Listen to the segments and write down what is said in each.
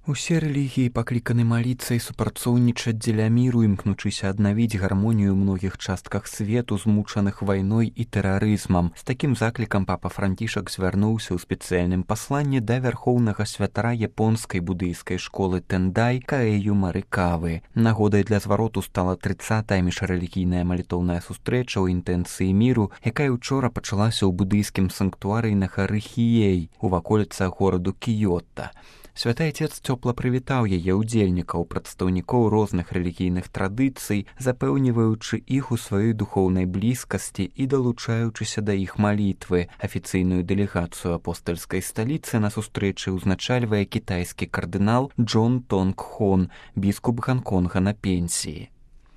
Усе рэлігіі пакліканы маліцца і супрацоўнічаць дзеля міру, імкнучыся аднавіць гармонію ў многіх частках свету, змучаных вайной і тэрарызмам. З такім заклікам папа Францішак звярнуўся ў спецыяльным пасланні да вярхоўнага святара японскай будыйскай школы Тэндай Каэю Марыкавы. Нагодай для звароту стала 30-я міжрэлігійная малітоўная сустрэча ў інтэнцыі міру, якая учора пачалася ў будыйскім санктуарыі на гары Хіей у ваколіцах гораду Кіёта. Святы Отец цёпла прывітаў яе ўдзельнікаў, прадстаўнікоў розных рэлігійных традыцый, запэўніваючы іх у сваёй духоўнай блізкасці і далучаючыся да іх малітвы. Афіцыйную дэлегацыю апостальскай сталіцы на сустрэчы ўзначальвае кітайскі кардынал Джон Тонг Хон, біскуп Ганконга на пенсіі.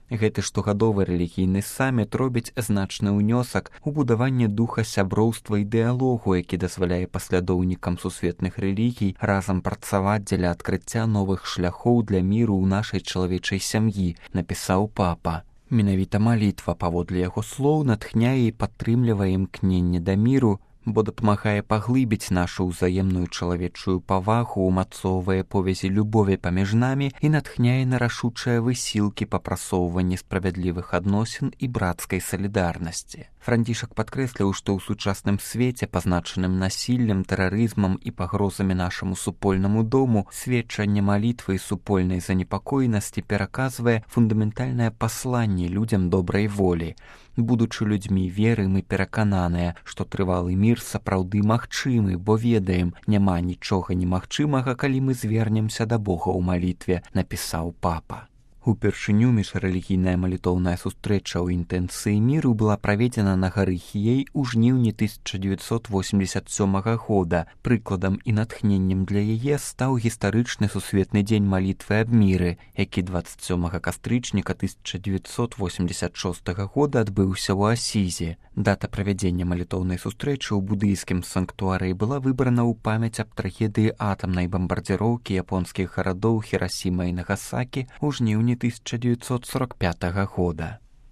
Гэты штогадовы рэлігійны саміт робіць значны ўнёсак у будаванне духа сяброўства і дыялогу, які дазваляе паслядоўнікам сусветных рэлігій разам працаваць дзеля адкрыцця новых шляхоў для міру ў нашай чалавечай сям'і, напісаў папа. Менавіта малітва, паводле яго слоў, натхняе і падтрымлівае імкненне да міру, бо дапамагае паглыбіць нашу ўзаемную чалавечую павагу, умацоўвае повязі любові паміж намі і натхняе на рашучыя высілкі па прасоўванні справядлівых адносін і брацкай салідарнасці. Францішак падкрэсліў, што ў сучасным свеце, пазначаным насіллем, тэрарызмам і пагрозамі нашаму супольнаму дому, сведчанне малітвы і супольнай занепакоенасці пераказвае фундаментальнае пасланне людзям добрай волі. Будучы людзьмі веры, мы перакананыя, што трывалы мір сапраўды магчымы, бо ведаем, няма нічога немагчымага, калі мы звернемся да Бога ў малітве, напісаў папа. Упершыню міжрэлігійная малітоўная сустрэча ў інтэнцыі міру была праведзена на гары Хіей у жніўні 1987 года. Прыкладам і натхненнем для яе стаў гістарычны сусветны дзень малітвы аб міры, які 27 кастрычніка 1986 года адбыўся ў Асізе. Дата правядзення малітоўнай сустрэчы ў будыйскім санктуарыі была выбрана ў памяць аб трагедыі атамнай бамбардзіроўкі японскіх гарадоў Хірасіма і Нагасакі ў жніўні 1945 года.